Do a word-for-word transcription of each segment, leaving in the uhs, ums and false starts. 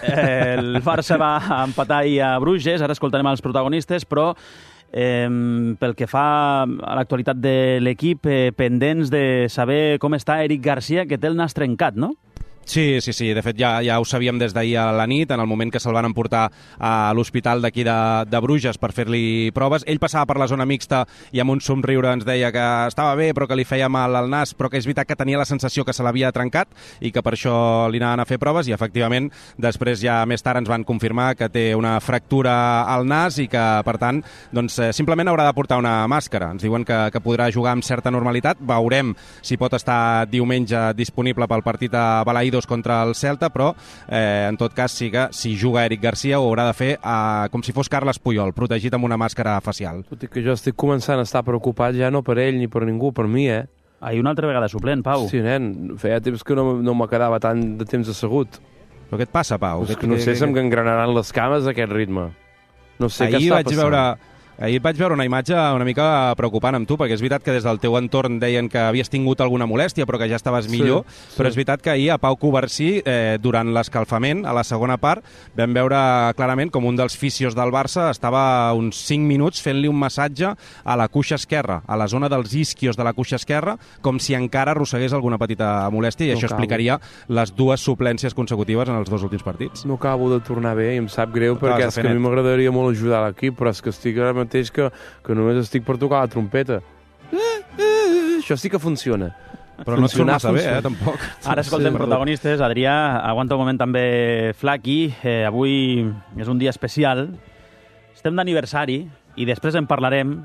Eh, el Barça va empatar ahir a Bruges, ara escoltarem els protagonistes, però eh, pel que fa a l'actualitat de l'equip, eh, pendents de saber com està Eric Garcia, que té el nas trencat, no? Sí, sí, sí. De fet, ja, ja ho sabíem des d'ahir a la nit, en el moment que se'l van emportar a l'hospital d'aquí de, de Bruges per fer-li proves. Ell passava per la zona mixta i amb un somriure ens deia que estava bé, però que li feia mal al nas, però que és veritat que tenia la sensació que se l'havia trencat i que per això li anaven a fer proves, i efectivament després ja més tard ens van confirmar que té una fractura al nas i que, per tant, doncs, simplement haurà de portar una màscara. Ens diuen que, que podrà jugar amb certa normalitat. Veurem si pot estar diumenge disponible pel partit a Balaïdos contra el Celta, però eh, en tot cas sí que si juga Eric Garcia ho haurà de fer eh, com si fos Carles Puyol, protegit amb una màscara facial. Tot i que jo estic començant a estar preocupat ja no per ell ni per ningú, per mi, eh? Ahir una altra vegada suplent, Pau. Sí, nen, feia temps que no, no me quedava tant de temps assegut. Però què et passa, Pau? És que no sé si em gangranaran les cames aquest ritme. No sé Ahir què està vaig passant. veure... Ahir vaig veure una imatge una mica preocupant amb tu, perquè és veritat que des del teu entorn deien que havies tingut alguna molèstia, però que ja estaves millor, sí, sí. Però és veritat que ahir a Pau Covarsí, eh, durant l'escalfament, a la segona part, vam veure clarament com un dels fisios del Barça estava uns cinc minuts fent-li un massatge a la cuixa esquerra, a la zona dels isquios de la cuixa esquerra, com si encara arrossegués alguna petita molèstia, i no això acabo. Explicaria les dues suplències consecutives en els dos últims partits. No acabo de tornar bé i em sap greu, no, perquè és que a mi m'agradaria molt ajudar l'equip, però és que estic ara mateix que, que només estic per tocar la trompeta. Eh, eh, això sí que funciona. Però no et surt massa bé, eh, tampoc. Ara escoltem sí, protagonistes. Adrià, aguanta un moment també, Flaqui. Eh, avui és un dia especial. Estem d'aniversari i després en parlarem.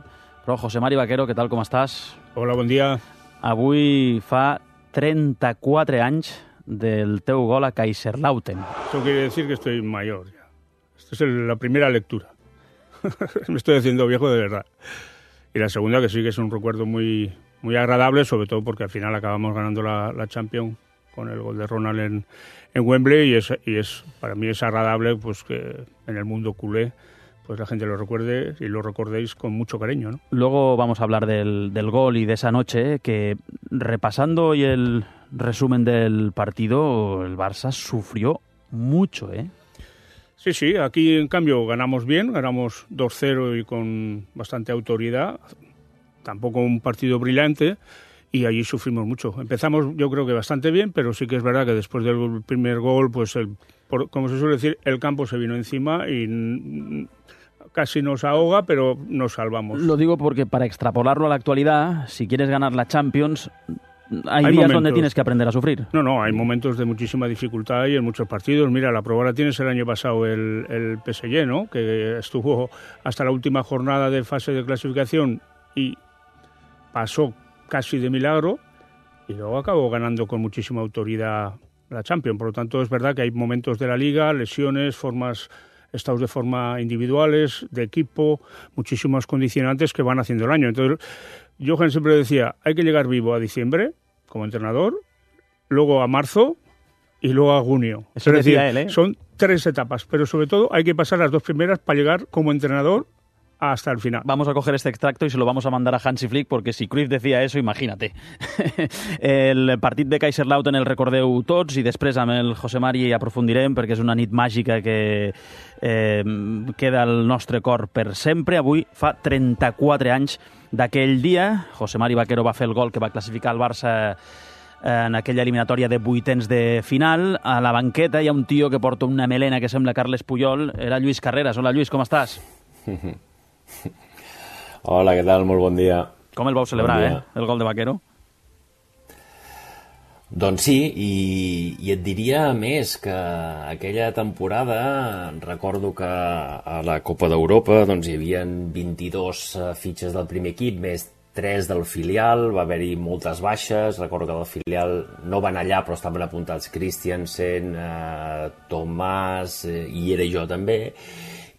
Però, José Mari Vaquero, què tal, com estàs? Hola, bon dia. Avui fa trenta-quatre anys del teu gol a Kaiserslautern. Eso quiere decir que estoy mayor ya. Esta es el, la primera lectura. Me estoy haciendo viejo de verdad. Y la segunda, que sí que es un recuerdo muy, muy agradable, sobre todo porque al final acabamos ganando la, la Champions con el gol de Ronald en, en Wembley, y es, y es para mí es agradable pues que en el mundo culé pues la gente lo recuerde y lo recordéis con mucho cariño, ¿no? Luego vamos a hablar del, del gol y de esa noche, que repasando hoy el resumen del partido, el Barça sufrió mucho, ¿eh? Sí, sí, aquí en cambio ganamos bien, ganamos dos cero y con bastante autoridad, tampoco un partido brillante, y allí sufrimos mucho. Empezamos yo creo que bastante bien, pero sí que es verdad que después del primer gol, pues el, por, como se suele decir, el campo se vino encima y casi nos ahoga, pero nos salvamos. Lo digo porque para extrapolarlo a la actualidad, si quieres ganar la Champions, hay, hay días momentos donde tienes que aprender a sufrir. No, no, hay momentos de muchísima dificultad y en muchos partidos. Mira, la prueba la tienes el año pasado el, el P S G, ¿no? Que estuvo hasta la última jornada de fase de clasificación y pasó casi de milagro y luego acabó ganando con muchísima autoridad la Champions. Por lo tanto, es verdad que hay momentos de la Liga, lesiones, formas, estados de forma individuales, de equipo, muchísimos condicionantes que van haciendo el año. Entonces, Johan siempre decía, hay que llegar vivo a diciembre como entrenador, luego a marzo y luego a junio. Eso es decía decir, él, ¿eh? Son tres etapas, pero sobre todo hay que pasar las dos primeras para llegar como entrenador hasta el final. Vamos a coger este extracto y se lo vamos a mandar a Hansi Flick, porque si Cruyff decía eso, imagínate. El partit de Kaiserslautern el recordeu tots i després amb el José Mari aprofundirem, perquè és una nit màgica que eh, queda al nostre cor per sempre. Avui fa trenta-quatre anys d'aquell dia. José Mari Vaquero va fer el gol que va classificar el Barça en aquella eliminatòria de vuitens de final. A la banqueta hi ha un tio que porta una melena que sembla Carles Puyol. Era Lluís Carreras. Hola, Lluís, com estàs? Hola, què tal? Molt bon dia. Com el vau celebrar, bon eh? El gol de Vaquero? Doncs sí, i, i et diria més que aquella temporada recordo que a la Copa d'Europa doncs, hi havia vint-i-dos fitxes del primer equip, més tres del filial, va haver-hi moltes baixes, recordo que del filial no van allà però estaven apuntats Christiansen, eh, Tomàs, eh, i era jo també,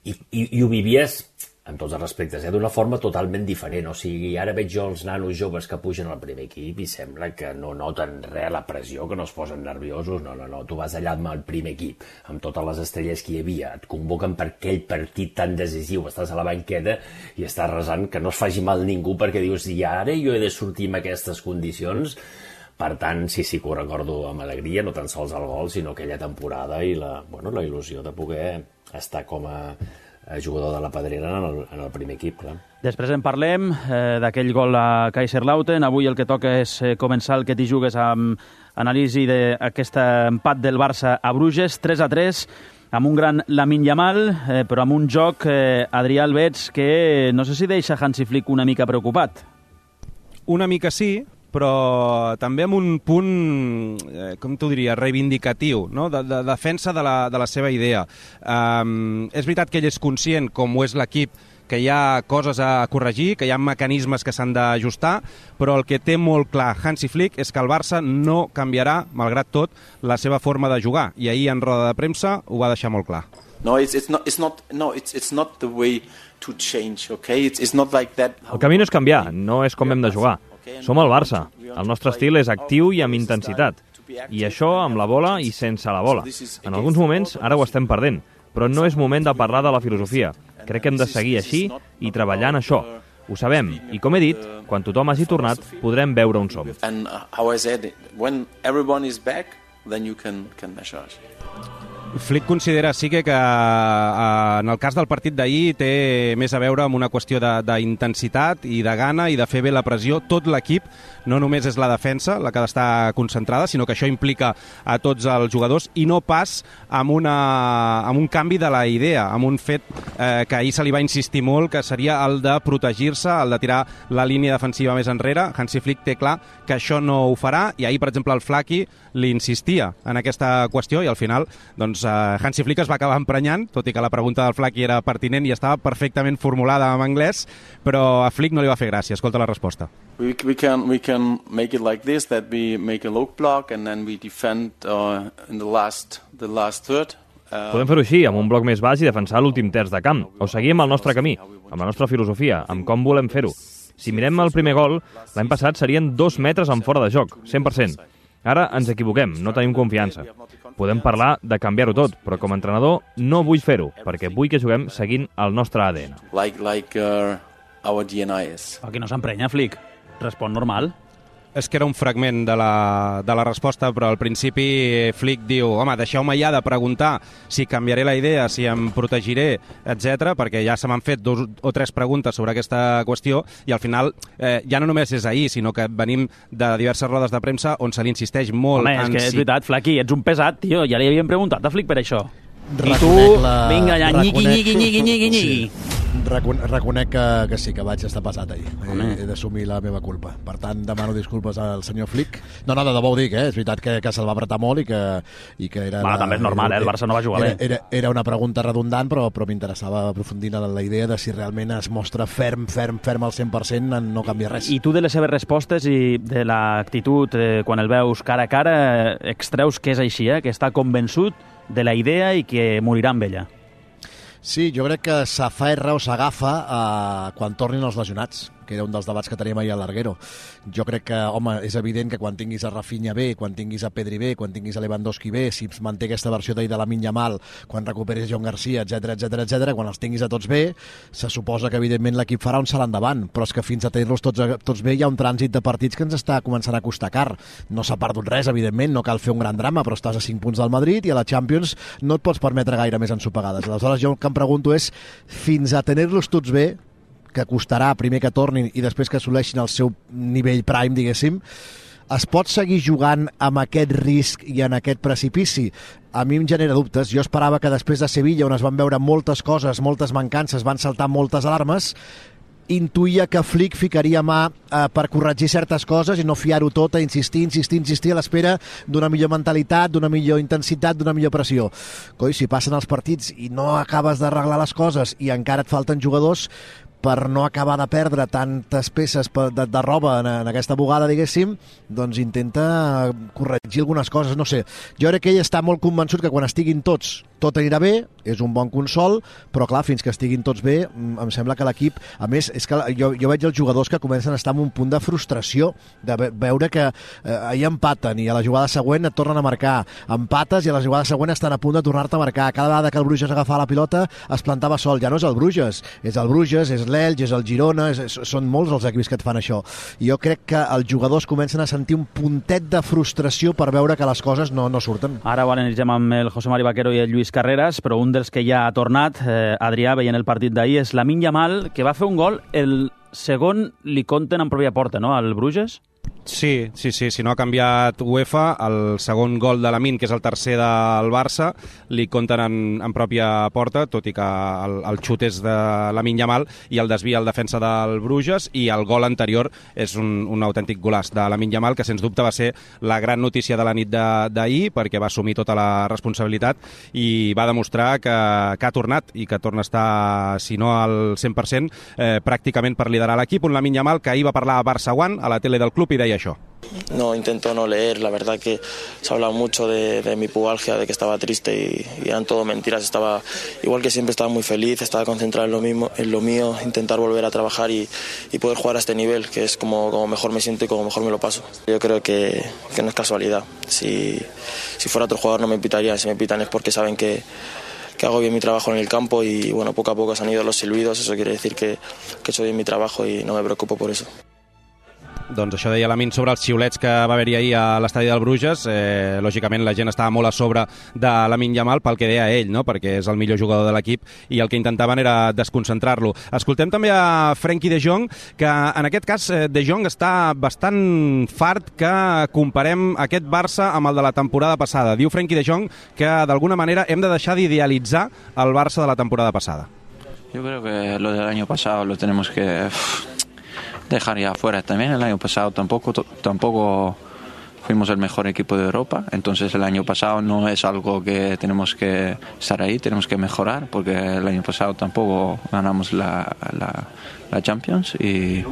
i, i, i ho vivies amb tots els respectes, eh? D'una forma totalment diferent. O sigui, ara veig jo els nanos joves que pugen al primer equip i sembla que no noten res, la pressió, que no es posen nerviosos. No, no, no, tu vas allà amb el primer equip, amb totes les estrelles que hi havia, et convoquen per aquell partit tan decisiu, estàs a la banqueta i estàs resant que no es faci mal ningú perquè dius, i ara jo he de sortir amb aquestes condicions, Per tant, sí, sí que ho recordo amb alegria, no tan sols el gol, sinó aquella temporada i la, bueno, la il·lusió de poder estar com a, a jugador de la Pedrera en el, en el primer equip, clar. Després en parlem eh, d'aquell gol a Kaiserslautern. Avui el que toca és eh, començar el que t'hi jugues amb anàlisi d'aquest empat del Barça a Bruges, tres a tres, amb un gran Lamine Yamal, eh, però amb un joc, eh, Adrià Albets, que no sé si deixa Hansi Flick una mica preocupat. Una mica sí, però també amb un punt, eh, com t'ho diria, reivindicatiu, no? de, de defensa de la, de la seva idea. Um, és veritat que ell és conscient, com ho és l'equip, que hi ha coses a corregir, que hi ha mecanismes que s'han d'ajustar, però el que té molt clar Hansi Flick és que el Barça no canviarà, malgrat tot, la seva forma de jugar. I ahir en roda de premsa ho va deixar molt clar. No, it's, it's not, it's not, no, it's, it's not the way to change, okay? It's, it's not like that. El camí no és canviar, no és com hem de jugar. Som el Barça. El nostre estil és actiu i amb intensitat. I això amb la bola i sense la bola. En alguns moments ara ho estem perdent, però no és moment de parlar de la filosofia. Crec que hem de seguir així i treballar en això. Ho sabem, i com he dit, quan tothom hagi tornat, podrem veure on som. And how I said, when everyone is back, then you can, can measure us. Flick considera, sí que, que eh, en el cas del partit d'ahir té més a veure amb una qüestió d'intensitat i de gana i de fer bé la pressió. Tot l'equip, no només és la defensa la que ha d'estar concentrada, sinó que això implica a tots els jugadors i no pas amb, una, amb un canvi de la idea, amb un fet eh, que ahir se li va insistir molt, que seria el de protegir-se, el de tirar la línia defensiva més enrere. Hansi Flick té clar que això no ho farà i ahir, per exemple, el Flaqui li insistia en aquesta qüestió i al final doncs, uh, Hansi Flick es va acabar emprenyant, tot i que la pregunta del Flaqui era pertinent i estava perfectament formulada en anglès, però a Flick no li va fer gràcia. Escolta la resposta. We, we, can, we can make it like this, that we make a low block and then we defend uh, in the last, the last third. Uh, Podem fer-ho així, amb un bloc més baix i defensar l'últim terç de camp, o seguir amb el nostre camí, amb la nostra filosofia, amb com volem fer-ho. Si mirem el primer gol, l'any passat serien dos metres en fora de joc, cent per cent. Ara ens equivoquem, no tenim confiança. Podem parlar de canviar-ho tot, però com a entrenador no vull fer-ho, perquè vull que juguem seguint el nostre A D N. Like, like uh, our D N A is. Aquí no s'emprenya, Flick. Respon normal. És que era un fragment de la, de la resposta, però al principi Flick diu, home, deixeu-me ja de preguntar si canviaré la idea, si em protegiré, etcètera, perquè ja se m'han fet dos o tres preguntes sobre aquesta qüestió i al final eh, ja no només és ahir, sinó que venim de diverses rodes de premsa on se li insisteix molt. Home, és en que és si... veritat, Flaqui, ets un pesat, tio, ja li havíem preguntat a Flick per això. Reconec I tu, la... vinga allà, nyiqui, reconec... nyiqui, nyiqui, nyiqui, nyiqui. Sí. Recon reconec que, que sí, que vaig estar passat ahir. He, he d'assumir la meva culpa. Per tant, demano disculpes al senyor Flick. No, no, de debò ho dic, eh? És veritat que, que se'l va apretar molt i que, i que era... Bueno, la, també és normal, eh? El Barça no va jugar era, bé. Era, era una pregunta redundant, però, però m'interessava aprofundir en la idea de si realment es mostra ferm, ferm, ferm al cent per cent en no canviar res. I tu de les seves respostes i de l'actitud, eh, quan el veus cara a cara, eh, extreus que és així, eh? Que està convençut de la idea i que morirà amb ella. Sí, jo crec que s'aferra o s'agafa eh, quan tornin els lesionats, que era un dels debats que teníem ahir a l'Arguero. Jo crec que, home, és evident que quan tinguis a Rafinha bé, quan tinguis a Pedri bé, quan tinguis a Lewandowski bé, si es manté aquesta versió d'ahir de Lamine Yamal, quan recuperis John Garcia, etc etc etc, quan els tinguis a tots bé, se suposa que evidentment l'equip farà un salt endavant, però és que fins a tenir-los tots, tots bé hi ha un trànsit de partits que ens està començant a costar car. No s'ha perdut res, evidentment, no cal fer un gran drama, però estàs a cinc punts del Madrid i a la Champions no et pots permetre gaire més ensopegades. Aleshores, jo el que em pregunto és, fins a tenir-los tots bé, que costarà primer que tornin i després que assoleixin el seu nivell prime, diguéssim, es pot seguir jugant amb aquest risc i en aquest precipici? A mi em genera dubtes. Jo esperava que després de Sevilla, on es van veure moltes coses, moltes mancances, van saltar moltes alarmes, intuïa que Flick ficaria mà eh, per corregir certes coses i no fiar-ho tot a insistir, insistir, insistir a l'espera d'una millor mentalitat, d'una millor intensitat, d'una millor pressió. Coi, si passen els partits i no acabes d'arreglar les coses i encara et falten jugadors, per no acabar de perdre tantes peces de, de roba en, en aquesta bugada, diguéssim, doncs intenta corregir algunes coses, no sé. Jo crec que ell està molt convençut que quan estiguin tots, tot anirà bé, és un bon consol, però clar, fins que estiguin tots bé, em sembla que l'equip, a més, és que jo, jo veig els jugadors que comencen a estar en un punt de frustració, de veure que eh, ahir empaten i a la jugada següent et tornen a marcar, empates i a la jugada següent estan a punt de tornar-te a marcar. Cada vegada que el Bruges agafava la pilota es plantava sol, ja no és el Bruges, és el Bruges, és l'Elx, és el Girona, és, és, són molts els equips que et fan això. Jo crec que els jugadors comencen a sentir un puntet de frustració per veure que les coses no, no surten. Ara ho analitzem amb el José Mari Vaquero i el Lluís Carreras, però un dels que ja ha tornat, eh, Adrià, veient el partit d'ahir, és Lamine Yamal, que va fer un gol, el segon li compten en pròpia porta, no?, al Bruges? Sí, sí, sí, si no ha canviat UEFA, el segon gol de Lamine, que és el tercer del Barça, li compten en, en pròpia porta, tot i que el, el xut és de Lamine Yamal i el desvia el defensa del Bruges, i el gol anterior és un, un autèntic golaç de Lamine Yamal, que sens dubte va ser la gran notícia de la nit d'ahir, perquè va assumir tota la responsabilitat i va demostrar que, que ha tornat i que torna a estar, si no al cent per cent, eh, pràcticament per liderar l'equip. Un Lamine Yamal que ahir va parlar a Barça One, a la tele del club, i deia això. No, intento no leer, la verdad que se ha hablado mucho de, de mi pubalgia, de que estaba triste y, y eran todo mentiras. Estaba, igual que siempre, estaba muy feliz, estaba concentrado en lo mismo, en lo mío, intentar volver a trabajar y, y poder jugar a este nivel, que es como, como mejor me siento y como mejor me lo paso. Yo creo que, que no es casualidad. Si, si fuera otro jugador no me pitarían, si me pitan es porque saben que que hago bien mi trabajo en el campo y bueno, poco a poco se han ido los silbidos, eso quiere decir que, que he hecho bien mi trabajo y no me preocupo por eso. Doncs això deia Lamine sobre els xiulets que va haver-hi ahir a l'estadi del Bruges. Eh, lògicament la gent estava molt a sobre de Lamine Yamal pel que deia ell, no?, perquè és el millor jugador de l'equip i el que intentaven era desconcentrar-lo. Escoltem també a Frenkie de Jong, que en aquest cas de Jong està bastant fart que comparem aquest Barça amb el de la temporada passada. Diu Frenkie de Jong que d'alguna manera hem de deixar d'idealitzar el Barça de la temporada passada. Yo creo que lo del año pasado lo tenemos que dejar ya afuera también. El año pasado tampoco, tampoco fuimos el mejor equipo de Europa, entonces el año pasado no es algo que tenemos que estar ahí, tenemos que mejorar, porque el año pasado tampoco ganamos la, la, la Champions y,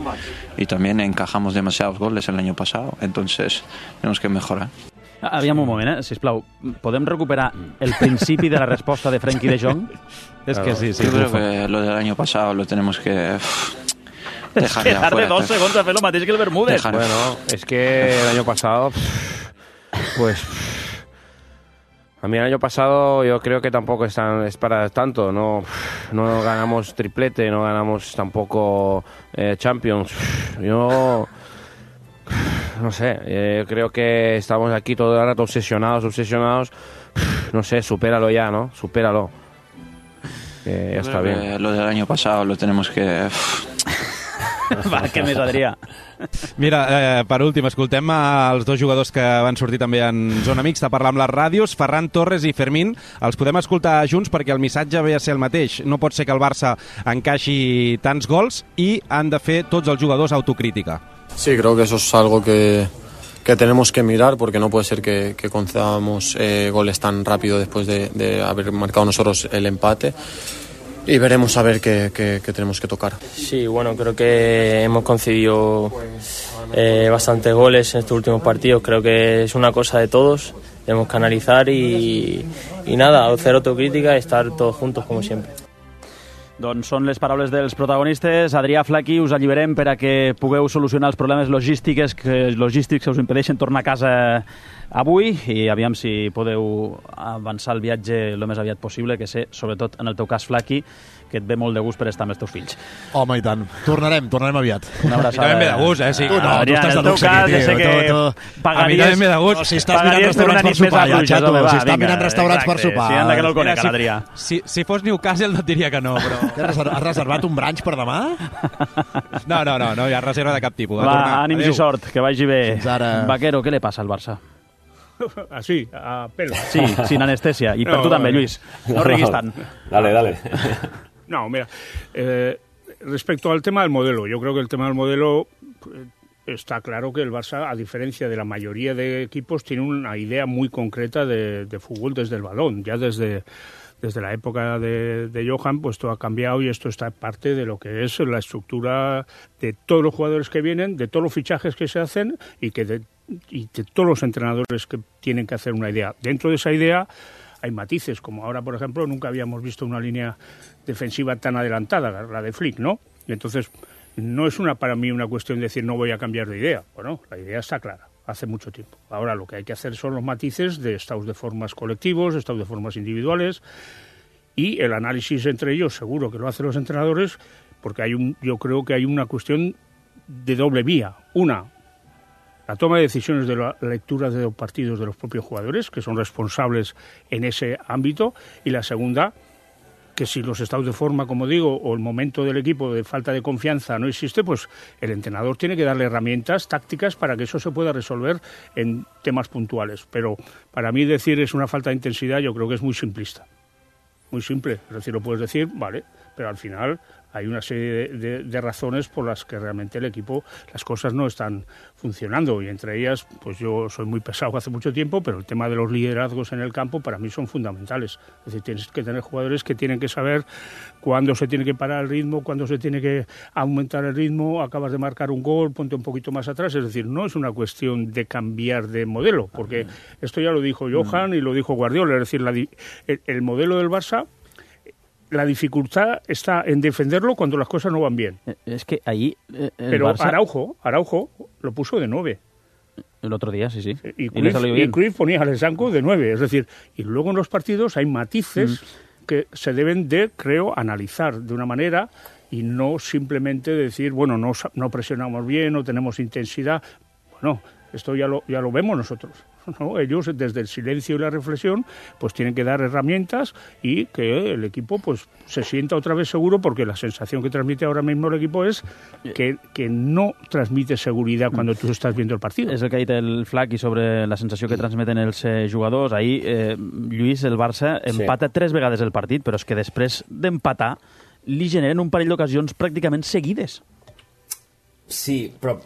y también encajamos demasiados goles el año pasado, entonces tenemos que mejorar. Aviam un moment, eh? Sisplau, podem recuperar el principi de la resposta de Frenkie de Jong? És que sí, sí. Yo creo que lo del año pasado lo tenemos que dejar de darle dos segundos a hacer lo mateix que el Bermúdez. Dejar. Bueno, es que el año pasado, pues, a mí el año pasado yo creo que tampoco es, tan, es para tanto. No, no ganamos triplete, no ganamos tampoco eh, Champions. Yo no sé, eh, creo que estamos aquí todo el rato obsesionados, obsesionados. No sé, supéralo ya, ¿no? Supéralo. Eh, ya está bien. Lo del año pasado lo tenemos que... Va, què més, Adrià? Mira, eh, per últim, escoltem els dos jugadors que van sortir també en zona mixta a parlar amb les ràdios, Ferran Torres i Fermín. Els podem escoltar junts perquè el missatge ve a ser el mateix. No pot ser que el Barça encaixi tants gols i han de fer tots els jugadors autocrítica. Sí, creo que eso es algo que, que tenemos que mirar, porque no puede ser que, que concedamos eh, goles tan rápido después de, de haber marcado nosotros el empate. Y veremos a ver qué, qué, qué tenemos que tocar. Sí, bueno, creo que hemos concedido eh, bastantes goles en estos últimos partidos. Creo que es una cosa de todos. Tenemos que analizar y, y nada, hacer autocrítica y estar todos juntos como siempre. Doncs són les paraules dels protagonistes. Adrià, Flaqui, us alliberem per a que pugueu solucionar els problemes logístics que, logístics que us impedeixen tornar a casa avui i aviam si podeu avançar el viatge el més aviat possible, que sé, sobretot en el teu cas, Flaqui, que et ve molt de gust per estar amb els teus fills. Home, i tant. Tornarem, tornarem aviat. Una abraçada. I també ve de gust, eh? Sí. Tu no, Adrià, tu estàs de luxe cas, aquí, tio. Sé que tu, tu... pagaries, a mi també ve de gust. No, si estàs mirant restaurants per sopar, ja, xato. home, va, si estàs vinga, mirant restaurants exacte, per sopar. Sí, anda que no el conec, Mira, si, l'Adrià. Si, si fos Newcastle no et diria que no, però... Has reservat un brunch per demà? No, no, no, no hi ha reserva de cap tipus. Va, ànims i sort, que vagi bé. Fins ara. Vaquero, què li passa al Barça? Así, a pelo. Sí, sin anestesia. I per No, tu també, no, Lluís. No riguis tant. Dale, dale. No, mira, eh, respecto al tema del modelo, yo creo que el tema del modelo eh, está claro que el Barça, a diferencia de la mayoría de equipos, tiene una idea muy concreta de, de fútbol desde el balón. Ya desde, desde la época de, de Johan, pues todo ha cambiado y esto está parte de lo que es la estructura de todos los jugadores que vienen, de todos los fichajes que se hacen y, que de, y de todos los entrenadores que tienen que hacer una idea. Dentro de esa idea hay matices, como ahora, por ejemplo, nunca habíamos visto una línea defensiva tan adelantada, la de Flick, ¿no? Y entonces no es una para mí una cuestión de decir no voy a cambiar de idea. Bueno, la idea está clara, hace mucho tiempo. Ahora lo que hay que hacer son los matices de estados de formas colectivos, estados de formas individuales y el análisis entre ellos, seguro que lo hacen los entrenadores, porque hay un, yo creo que hay una cuestión de doble vía. Una, la toma de decisiones de la lectura de los partidos de los propios jugadores, que son responsables en ese ámbito, y la segunda, que si los estados de forma, como digo, o el momento del equipo de falta de confianza no existe, pues el entrenador tiene que darle herramientas tácticas para que eso se pueda resolver en temas puntuales. Pero para mí decir es una falta de intensidad, yo creo que es muy simplista. Muy simple, es decir, lo puedes decir, vale, pero al final hay una serie de, de, de razones por las que realmente el equipo, las cosas no están funcionando, y entre ellas, pues yo soy muy pesado hace mucho tiempo, pero el tema de los liderazgos en el campo para mí son fundamentales. Es decir, tienes que tener jugadores que tienen que saber cuándo se tiene que parar el ritmo, cuándo se tiene que aumentar el ritmo, acabas de marcar un gol, ponte un poquito más atrás. Es decir, no es una cuestión de cambiar de modelo, porque esto ya lo dijo Johan y lo dijo Guardiola, es decir, la, el, el modelo del Barça, la dificultad está en defenderlo cuando las cosas no van bien. Es que ahí eh, el Pero Barça... Araujo, Araujo lo puso de nueve. El otro día, sí, sí. Y, y Cruyff, le salió bien. y Cruyff ponía a Lesanco de nueve. Es decir, y luego en los partidos hay matices mm. que se deben de, creo, analizar de una manera y no simplemente decir, bueno, no, no presionamos bien, no tenemos intensidad. Bueno, esto ya lo, ya lo vemos nosotros, ¿no? Ellos, desde el silencio y la reflexión, pues tienen que dar herramientas y que el equipo pues se sienta otra vez seguro, porque la sensación que transmite ahora mismo el equipo es que, que no transmite seguridad cuando tú estás viendo el partido. És el que ha dit el Flaqui sobre la sensació que transmeten els eh, jugadors. Ahir, eh, Lluís, el Barça empata sí. tres vegades el partit, però és que després d'empatar li generen un parell d'ocasions pràcticament seguides. Sí, però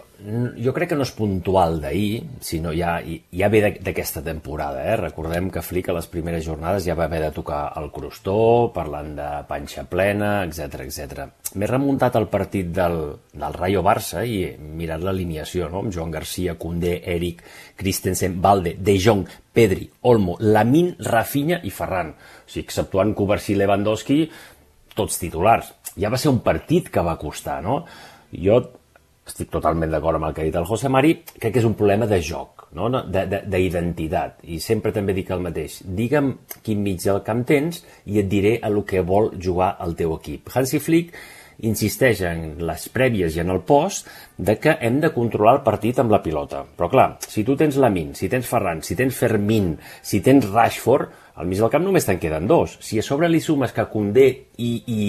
jo crec que no és puntual d'ahir, sinó ja, ja ve d'aquesta temporada. Eh? Recordem que Flick a les primeres jornades ja va haver de tocar el crostó, parlant de panxa plena, etcètera etcètera. M'he remuntat al partit del, del Rayo Barça i he mirat l'alineació, no? Amb Joan Garcia, Koundé, Eric, Christensen, Valde, De Jong, Pedri, Olmo, Lamine, Rafinha i Ferran. O sigui, exceptuant Kovacic i Lewandowski, tots titulars. Ja va ser un partit que va costar, no? Jo estic totalment d'acord amb el que ha dit el José Mari, crec que és un problema de joc, no? D'identitat, i sempre també dic el mateix. Digue'm quin mig del camp tens i et diré a lo que vol jugar el teu equip. Hansi Flick insisteix en les prèvies i en el post de que hem de controlar el partit amb la pilota. Però clar, si tu tens Lamine, si tens Ferran, si tens Fermín, si tens Rashford, al mig del camp només te'n queden dos. Si a sobre li sumes que Koundé i, i,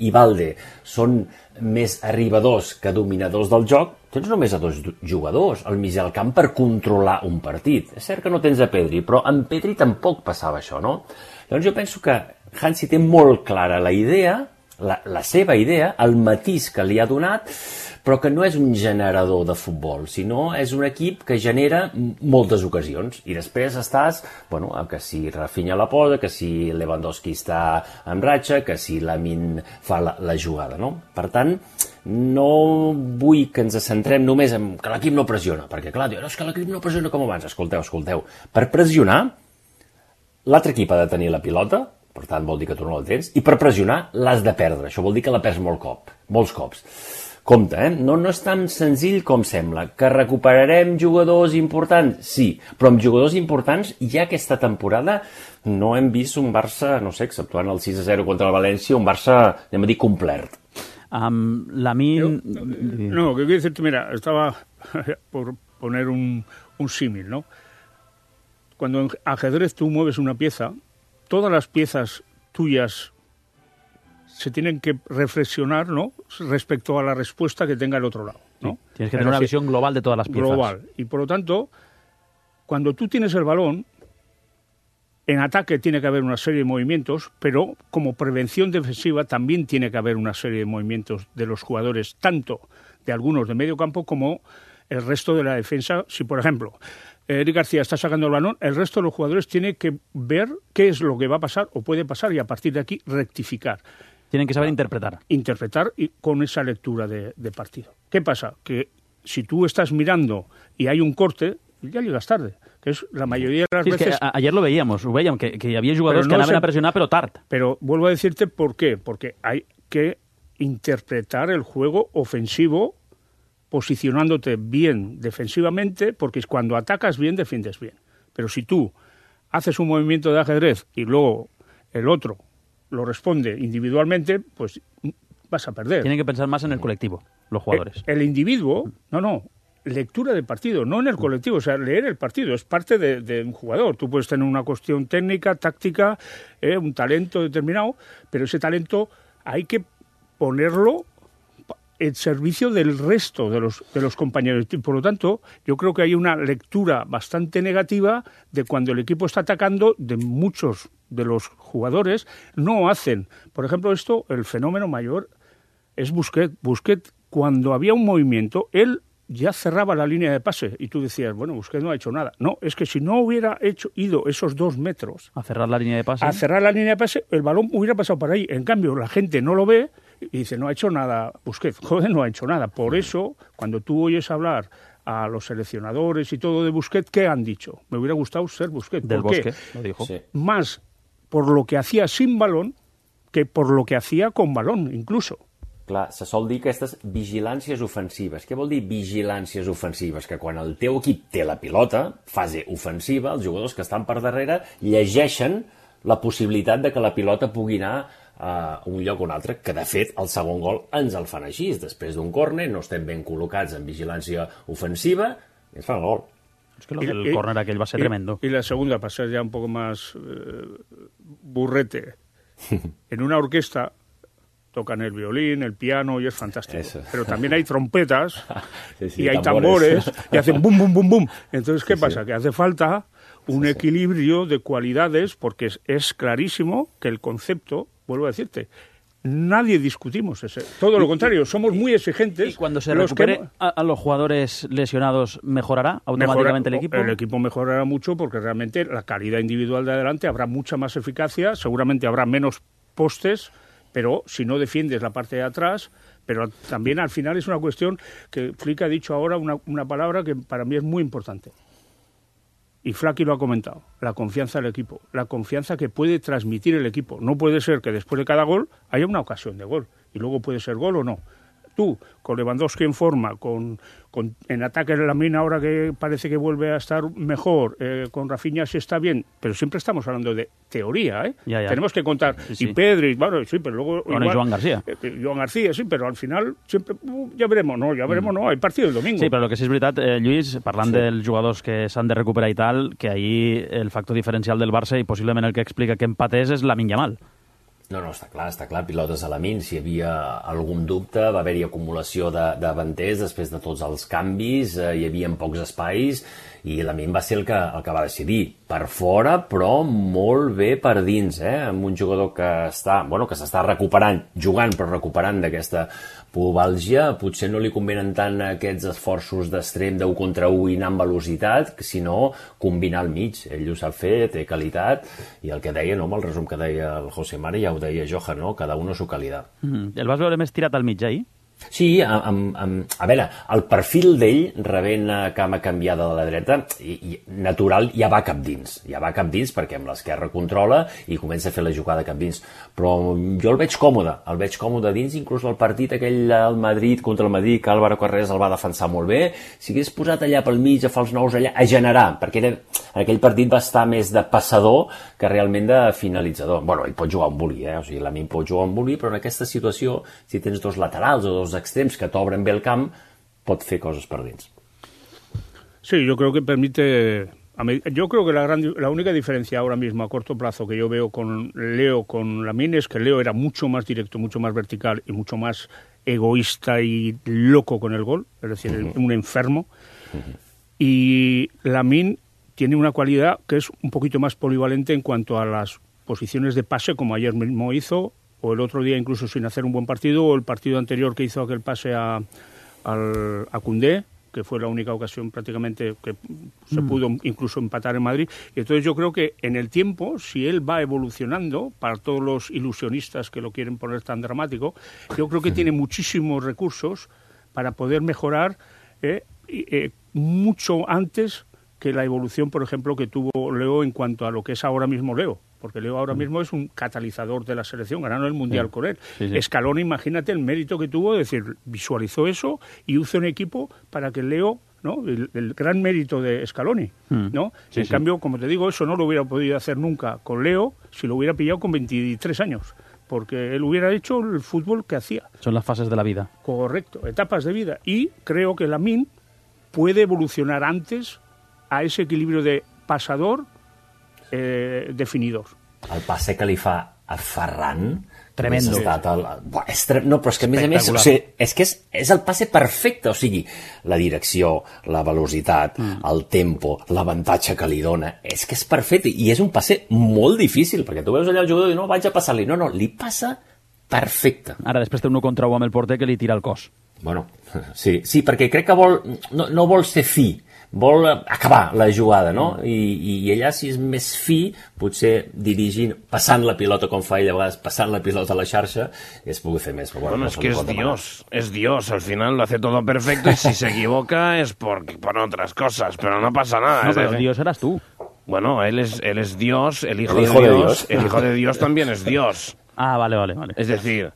i Valde són més arribadors que dominadors del joc, tens només a dos jugadors al mig del camp per controlar un partit. És cert que no tens a Pedri, però amb Pedri tampoc passava això, no? Llavors jo penso que Hansi té molt clara la idea, la, la seva idea, el matís que li ha donat, però que no és un generador de futbol, sinó és un equip que genera moltes ocasions. I després estàs, bueno, que si Rafinha la posa, que si Lewandowski està en ratxa, que si Lamine fa la, la jugada, no? Per tant, no vull que ens centrem només en que l'equip no pressiona, perquè clar, diuen, no, és que l'equip no pressiona com abans. Escolteu, escolteu, per pressionar, l'altre equip ha de tenir la pilota, per tant vol dir que tu no la tens, i per pressionar l'has de perdre. Això vol dir que la perds molt cop, molts cops. Compte, eh? No, no és tan senzill com sembla. Que recuperarem jugadors importants? Sí, però amb jugadors importants ja aquesta temporada no hem vist un Barça, no sé, exceptuant el sis a zero contra el València, un Barça, anem a dir, complet. Um, Lamine... Yo, no, que quiero decirte, mira, estaba por poner un, un símil, ¿no? Cuando en ajedrez tú mueves una pieza, todas las piezas tuyas se tienen que reflexionar, ¿no?, respecto a la respuesta que tenga el otro lado, ¿no? Sí, tienes que tener una visión global de todas las piezas. Global. Y por lo tanto, cuando tú tienes el balón, en ataque tiene que haber una serie de movimientos, pero como prevención defensiva también tiene que haber una serie de movimientos de los jugadores, tanto de algunos de medio campo como el resto de la defensa. Si, por ejemplo, Eric García está sacando el balón, el resto de los jugadores tienen que ver qué es lo que va a pasar o puede pasar y a partir de aquí rectificar. Tienen que saber interpretar. Interpretar y con esa lectura de, de partido. ¿Qué pasa? Que si tú estás mirando y hay un corte, ya llegas tarde. Que es la mayoría de las sí, veces... Es que a, ayer lo veíamos, ho veiem, que, que hi havia jugadors no que anaven a pressionar, però tard. Pero vuelvo a decirte por qué. Porque hay que interpretar el juego ofensivo posicionándote bien defensivamente, porque cuando atacas bien, defiendes bien. Pero si tú haces un movimiento de ajedrez y luego el otro lo responde individualmente, pues vas a perder. Tienen que pensar más en el colectivo, los jugadores. El, el individuo, no, no, lectura del partido, no en el colectivo, o sea, leer el partido, es parte de, de un jugador. Tú puedes tener una cuestión técnica, táctica, eh, un talento determinado, pero ese talento hay que ponerlo en servicio del resto de los, de los compañeros. Y por lo tanto, yo creo que hay una lectura bastante negativa de cuando el equipo está atacando, de muchos de los jugadores no hacen. Por ejemplo, esto, el fenómeno mayor es Busquets. Busquets, cuando había un movimiento, él ya cerraba la línea de pase y tú decías, bueno, Busquets no ha hecho nada. No, es que si no hubiera hecho ido esos dos metros a cerrar la línea de pase, a cerrar la línea de pase, el balón hubiera pasado por ahí. En cambio, la gente no lo ve y dice, no ha hecho nada Busquets. Joder, no ha hecho nada. Por eso, cuando tú oyes hablar a los seleccionadores y todo de Busquets, ¿qué han dicho? Me hubiera gustado ser Busquets. Del ¿Por qué? Bosque, lo dijo. Sí. Más por lo que hacía sin balón que por lo que hacía con balón, incluso. Clar, se sol dir aquestes vigilàncies ofensives. Què vol dir vigilàncies ofensives? Que quan el teu equip té la pilota, fase ofensiva, els jugadors que estan per darrere llegeixen la possibilitat de que la pilota pugui anar a un lloc o un altre, que de fet el segon gol ens el fan així. Després d'un córner no estem ben col·locats en vigilància ofensiva i ens fan el gol. Es que el córner aquell va ser y, tremendo. Y la segunda, para ser ya un poco más eh, burrete, en una orquesta tocan el violín, el piano y es fantástico. Eso. Pero también hay trompetas sí, sí, y hay tambores. tambores y hacen bum, bum, bum, bum. Entonces, ¿qué sí, pasa? Sí. Que hace falta un sí, equilibrio sí. de cualidades porque es, es clarísimo que el concepto, vuelvo a decirte, nadie discutimos ese. Todo lo contrario, somos muy exigentes. ¿Y cuando se recupere que... a, a los jugadores lesionados, mejorará automáticamente Mejora, el equipo? El equipo mejorará mucho porque realmente la calidad individual de adelante habrá mucha más eficacia, seguramente habrá menos postes, pero si no defiendes la parte de atrás, pero también al final es una cuestión que Flick ha dicho ahora una, una palabra que para mí es muy importante. Y Flaky lo ha comentado, la confianza del equipo, la confianza que puede transmitir el equipo. No puede ser que después de cada gol haya una ocasión de gol y luego puede ser gol o no. Tú, con Lewandowski en forma, con, con en ataque de Lamine ahora que parece que vuelve a estar mejor, eh, con Rafinha si está bien, pero siempre estamos hablando de teoría, ¿eh? Ya, ya. Tenemos que contar. Sí, sí. Y Pedri, bueno, sí, pero luego... Bueno, igual, Joan García. Eh, Joan García, sí, pero al final siempre... Uh, ja veremos, no, ja veremos, mm. no, hay partido el domingo. Sí, però el que sí és veritat, eh, Lluís, parlant sí. dels jugadors que s'han de recuperar i tal, que ahir el factor diferencial del Barça i possiblement el que explica que empatés és Lamine Yamal. No, no, està clar, està clar, pilotes a la min. Si hi havia algun dubte, va haver-hi acumulació de, de davanters després de tots els canvis, eh, hi havia pocs espais, i la min va ser el que, el que va decidir. Per fora, però molt bé per dins, eh? Amb un jugador que està, bueno, que s'està recuperant, jugant però recuperant d'aquesta pubalgia, potser no li convenen tant aquests esforços d'extrem d'un contra un i anar amb velocitat, sinó combinar al mig. Ell ho sap fer, té qualitat, i el que deia, no, amb el resum que deia el José Mari, ja ho deia Johan, no? Cada un a su qualitat. Mm. El vas veure més tirat al mig, ahir? Sí, amb, amb, a veure, el perfil d'ell, rebent cama canviada de la dreta, i, i natural, ja va cap dins, ja va cap dins perquè amb l'esquerra controla i comença a fer la jugada cap dins, però jo el veig còmode, el veig còmode dins, inclús el partit aquell al Madrid contra el Madrid, que Álvaro Carreras el va defensar molt bé, si hagués posat allà pel mig a fer els nous allà, a generar, perquè era, en aquell partit va estar més de passador que realment de finalitzador. Bueno, ell pot jugar un bully, eh? O sigui, l'Amin pot jugar un bully, però en aquesta situació, si tens dos laterals o dos extrems que t'obren bé el camp, pot fer cosas per dins. Sí, yo creo que permite... Yo creo que la, gran, la única diferencia ahora mismo a corto plazo que yo veo con Leo, con Lamine, es que Leo era mucho más directo, mucho más vertical y mucho más egoísta y loco con el gol, es decir, uh-huh. un enfermo. Uh-huh. Y Lamine tiene una cualidad que es un poquito más polivalente en cuanto a las posiciones de pase, como ayer mismo hizo, o el otro día incluso sin hacer un buen partido, o el partido anterior que hizo aquel pase a, al, a Koundé, que fue la única ocasión prácticamente que se mm. pudo incluso empatar en Madrid. Y entonces yo creo que en el tiempo, si él va evolucionando, para todos los ilusionistas que lo quieren poner tan dramático, yo creo que sí. tiene muchísimos recursos para poder mejorar eh, eh, mucho antes que la evolución, por ejemplo, que tuvo Leo en cuanto a lo que es ahora mismo Leo. Porque Leo ahora mismo es un catalizador de la selección, ganando el Mundial sí, con él. Sí, sí. Scaloni, imagínate el mérito que tuvo, es decir, visualizó eso y hizo un equipo para que Leo, ¿no? El, el gran mérito de Scaloni, ¿no? Sí, en sí. cambio, como te digo, eso no lo hubiera podido hacer nunca con Leo si lo hubiera pillado con veintitrés años. porque él hubiera hecho el fútbol que hacía. Son las fases de la vida. Correcto, etapas de vida. Y creo que Lamine puede evolucionar antes a ese equilibrio de pasador, eh, definidor. El passe que li fa a Ferran... Tremendo. Estat el... Buah, és tre... No, però és que a més a més... O sigui, és que és, és el passe perfecte, o sigui, la direcció, la velocitat, mm. el tempo, l'avantatge que li dona, és que és perfecte, i és un passe molt difícil, perquè tu veus allà el jugador i no, vaig a passar-li, no, no, li passa perfecte. Ara després té un contra un amb el porter que li tira el cos. Bueno, sí, sí, perquè crec que vol, no, no vol ser fi, vol acabar la jugada, no? I, i allà, si és més fi, potser dirigint, passant la pilota, com fa ell a vegades, passant la pilota a la xarxa, es pugui fer més. Bueno, bueno, es que es Dios, es Dios, al final lo hace todo perfecto y si se equivoca es por, por otras cosas, pero no pasa nada. No, pero el Dios eras tú. Bueno, él es, él es Dios, el hijo, el hijo de, Dios, de Dios, el hijo de Dios también es Dios. Ah, vale, vale, vale. Es decir,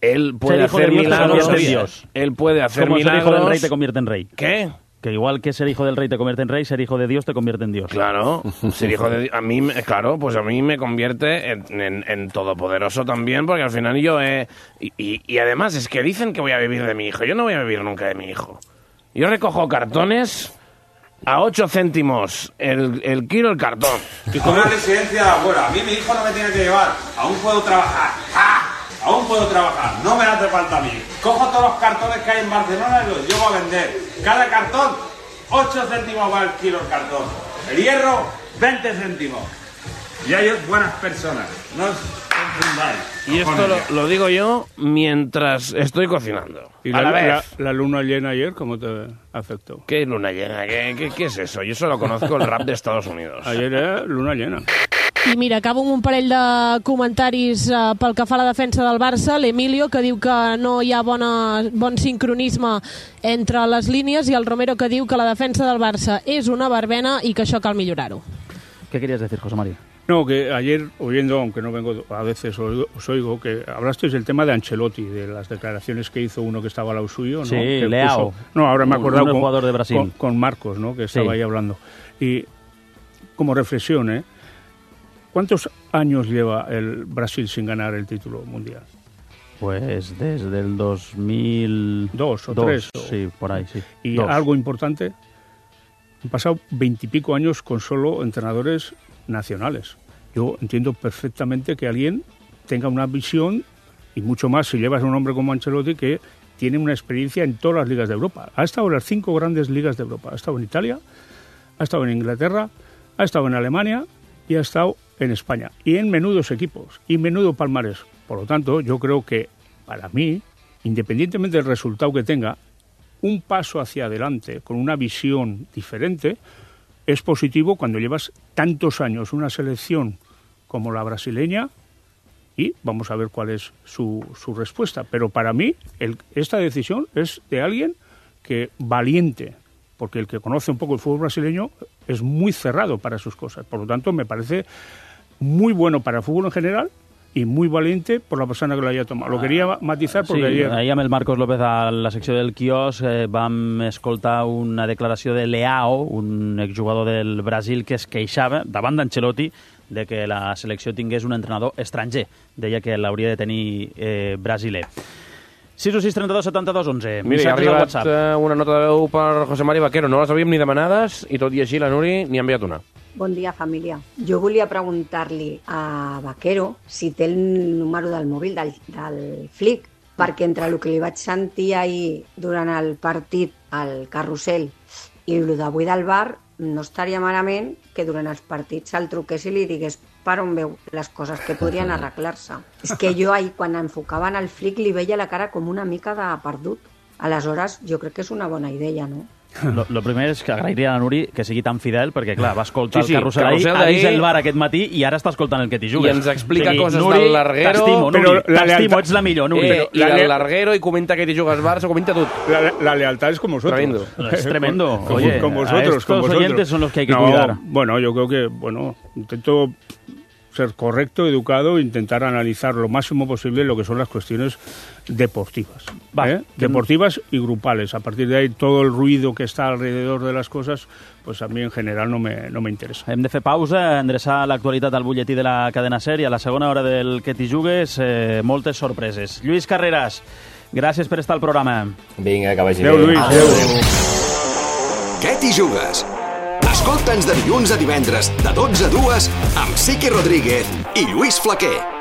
él puede hacer milagros, Dios. Él puede hacer Como milagros. Ser hijo del rey te convierte en rey. ¿Qué? Que igual que ser hijo del rey te convierte en rey, ser hijo de Dios te convierte en Dios. Claro, ser hijo de a mí, claro, pues a mí me convierte en, en, en todopoderoso también, porque al final yo he... Y, y, y además es que dicen que voy a vivir de mi hijo. Yo no voy a vivir nunca de mi hijo. Yo recojo cartones a ocho céntimos el, el kilo el cartón. A una residencia de afuera. A mí mi hijo no me tiene que llevar. Aún puedo trabajar. ¡Ah! Aún puedo trabajar, no me hace falta a mí. Cojo todos los cartones que hay en Barcelona y los llevo a vender. Cada cartón, ocho céntimos va el kilo el cartón. El hierro, veinte céntimos. Y hay buenas personas, no os confundáis. Y esto lo, lo digo yo mientras estoy cocinando. ¿Y a la, la vez. La, la luna llena ayer cómo te afectó? ¿Qué luna llena? ¿Qué, qué, qué es eso? Yo solo conozco el rap de Estados Unidos. Ayer era luna llena. I mira, acabo amb un parell de comentaris uh, pel que fa a la defensa del Barça. L'Emilio, que diu que no hi ha bona, bon sincronisme entre les línies, i el Romero, que diu que la defensa del Barça és una barbena i que això cal millorar-ho. ¿Qué querías decir, José María? No, que ayer, oyendo, aunque no vengo, a veces oigo, os oigo, que hablasteis del tema de Ancelotti, de las declaraciones que hizo uno que estaba al lado suyo, ¿no? Sí, que Leao. Puso, no, ahora me he acordado un, un con, jugador de Brasil. Con, con Marcos, ¿no? Que estaba sí. ahí hablando. Y como reflexión, ¿eh? ¿Cuántos años lleva el Brasil sin ganar el título mundial? Pues desde el dos mil dos o tres. Sí, por ahí, sí. Y Dos. algo importante, han pasado veintipico años con solo entrenadores nacionales. Yo entiendo perfectamente que alguien tenga una visión, y mucho más si llevas a un hombre como Ancelotti, que tiene una experiencia en todas las ligas de Europa. Ha estado en las cinco grandes ligas de Europa. Ha estado en Italia, ha estado en Inglaterra, ha estado en Alemania y ha estado en España, y en menudos equipos, y menudo palmarés. Por lo tanto, yo creo que, para mí, independientemente del resultado que tenga, un paso hacia adelante, con una visión diferente, es positivo cuando llevas tantos años una selección como la brasileña, y vamos a ver cuál es su, su respuesta. Pero para mí, el, esta decisión es de alguien que valiente, porque el que conoce un poco el fútbol brasileño es muy cerrado para sus cosas. Por lo tanto, me parece muy bueno para el fútbol en general y muy valiente por la persona que lo haya tomado. Lo quería matizar porque sí, ayer... ahir amb el Marcos López a la secció del quiosc eh, vam escoltar una declaració de Leao, un exjugador del Brasil, que es queixava davant d'Ancelotti de que la selecció tingués un entrenador estranger. Deia que l'hauria de tenir eh, brasiler. sis o sis trenta-dos setanta-dos onze. Mira, ha arribat uh, una nota de veu per José Mari Vaquero. No les havíem ni demanades i tot i així la Nuri n'hi ha enviat una. Bon dia, família. Jo volia preguntar-li a Vaquero si té el número del mòbil del, del Flick, perquè entre el que li vaig sentir ahir durant el partit al carrusel i el d'avui del bar, no estaria malament que durant els partits se'l truqués i li digués per on veu les coses que podrien arreglar-se. És que jo ahir, quan enfocaven el Flick, li veia la cara com una mica de perdut. Aleshores, jo crec que és una bona idea, no? Lo, lo primer és que agrairia a la Nuri que sigui tan fidel, perquè clar, va escoltar sí, sí, el carrusel ahir, ha vist el bar aquest matí i ara està escoltant el que t'hi jugues. I ens explica o sigui, coses Nuri, del larguero. T'estimo, Nuri, t'estimo, ets la millor, Nuri. Eh, I del larguero, i comenta que t'hi jugues Barça, comenta tot. La, la lealtad es como vosotros. Tremendo. Es tremendo. Con, Oye, con vosotros, estos con vosotros. oyentes son los que hay que no, cuidar. Bueno, yo creo que, bueno, intento ser correcto, educado e intentar analizar lo máximo posible lo que son las cuestiones deportivas. Va, ¿eh? Deportivas y grupales. A partir de ahí, todo el ruido que está alrededor de las cosas, pues a mí en general no me, no me interesa. Hem de fer pausa, endreçar l'actualitat al butlletí de la cadena SER i a la segona hora del Que t'hi jugues, eh, moltes sorpreses. Lluís Carreras, gràcies per estar al programa. Vinga, que vagi bé. Adéu, Lluís. Adéu. Que t'hi jugues? Escolta'ns de dilluns a divendres, de dotze a dues, amb Siqui Rodríguez i Lluís Flaquer.